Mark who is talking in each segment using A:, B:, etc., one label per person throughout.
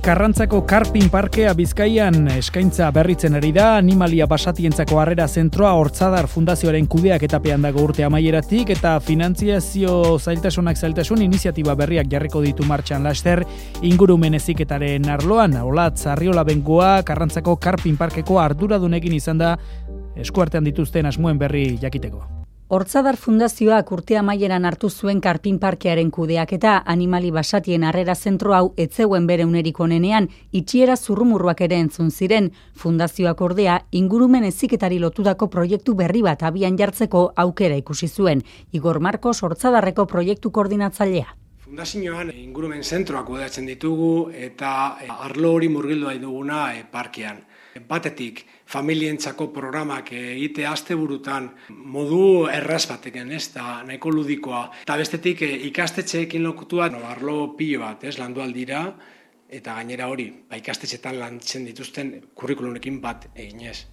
A: Karrantzako Karpin Parkea Bizkaian eskaintza berritzen ari da. Animalia basatientzako harrera zentroa Hortzadar Fundazioaren kudeaketapean dago urte amaieratik eta finantziazio zailtasun iniziatiba berriak jarriko ditu martxan laster ingurumen heziketaren arloan. Olatz Arriola Bengoa Karrantzako Karpin Parkeko arduradunekin izan da eskuartean dituzten asmoen berri jakiteko.
B: Hortzadar Fundazioak urte amaieran hartu zuen Karpin Parkearen kudeaketa animali basatien harrera zentro hau etzeuen bere unerik onenean itxiera zurrumurruak ere entzun ziren. Fundazioak ordea ingurumen heziketari lotutako proiektu berri bat abian jartzeko aukera ikusi zuen. Igor Marcos Hortzadarreko proiektu koordinatzailea.
C: Fundazioan ingurumen zentroak kudeatzen ditugu eta arlo hori murgildu duguna parkean. Batetik, familientzako programak egite asteburutan modu erraz bateken, da nahiko ludikoa. Eta bestetik, ikastetxeekin lokutua arlo pilo bat, landu aldira, eta gainera hori, ikastetxeetan lantzen dituzten kurrikulunekin bat eginez.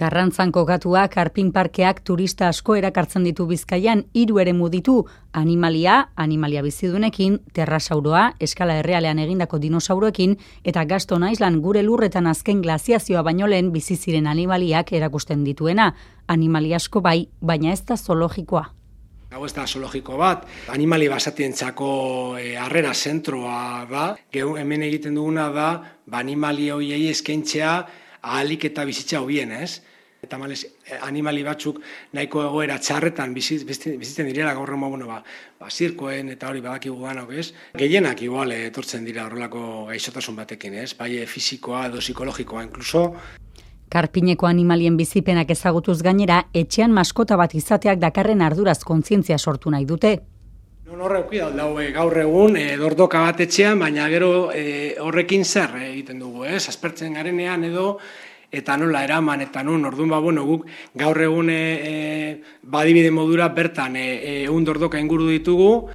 B: Karrantzan kokatua Karpin Parkeak turista asko erakartzen ditu Bizkaian 3 eremu ditu: animalia bizidunekin, terrasauroa, eskala errealean egindako dinosauroekin eta Gaston Island gure lurretan azken glaziazioa baino lehen bizi ziren animaliak erakusten dituena. Animalia asko bai, baina ez da zoologikoa.
C: Hau ez da zoologiko bat, animali basatientzako harrera zentroa da. Hemen egiten duguna da, animali horiei eskaintzea ahalik eta bizitza hobien, Eta animali batzuk nahiko egoera txarretan bizitzen direla gaur egun zirkoen eta hori badakigu ganok, Gehienak igual etortzen dira horrelako gaixotasun batekin, Bai fisikoa edo psikologikoa inkluso.
B: Karpineko animalien bizipenak ezagutuz gainera, etxean maskota bat izateak dakarren arduraz kontzientzia sortu nahi dute.
C: Horrek gaur egun dordoka bat etxean, baina gero horrekin zer egiten dugu, aspertzen garenean edo, eta nola eraman, eta orduan guk gaur egun badibide modura bertan dordoka inguru ditugu.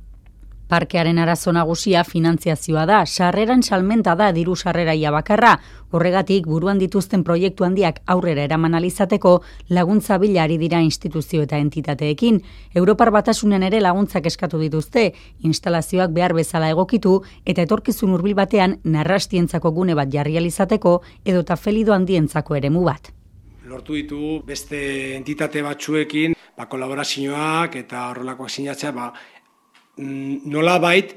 B: Parkearen arazo nagusia finantziazioa da, sarreran salmenta da diru sarreraia bakarra. Horregatik, buruan dituzten proiektu handiak aurrera eraman alizateko laguntza bila ari dira instituzio eta entitateekin. Europar Batasunen ere laguntzak eskatu dituzte, instalazioak behar bezala egokitu eta etorkizun hurbil batean narrastientzako gune bat jarri alizateko edota felido handientzako eremu bat.
C: Lortu ditugu beste entitate batzuekin, kolaborazioak eta horrelakoak sinatzea, nola bait,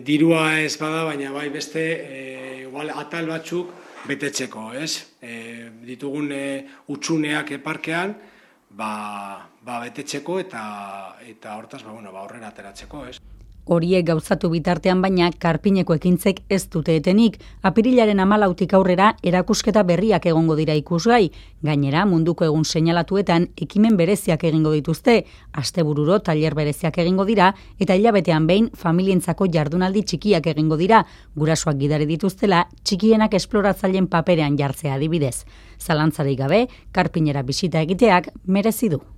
C: dirua ez bada, baina bai beste atal batzuk betetzeko, Ditugun utsuneak parkean, betetzeko eta hortaz, horrela ateratzeko,
B: Horiek gauzatu bitartean baina Karpineko ekintzek ez dute etenik. Apirilaren 14 aurrera erakusketa berriak egongo dira ikusgai. Gainera, munduko egun seinalatuetan ekimen bereziak egingo dituzte. Astebururo tailer bereziak egingo dira eta hilabetean behin familientzako jardunaldi txikiak egingo dira. Gurasoak gidari dituztela, txikienak esploratzaileen paperean jartzea adibidez. Zalantzarik gabe, Karpinera bisita egiteak merezi du.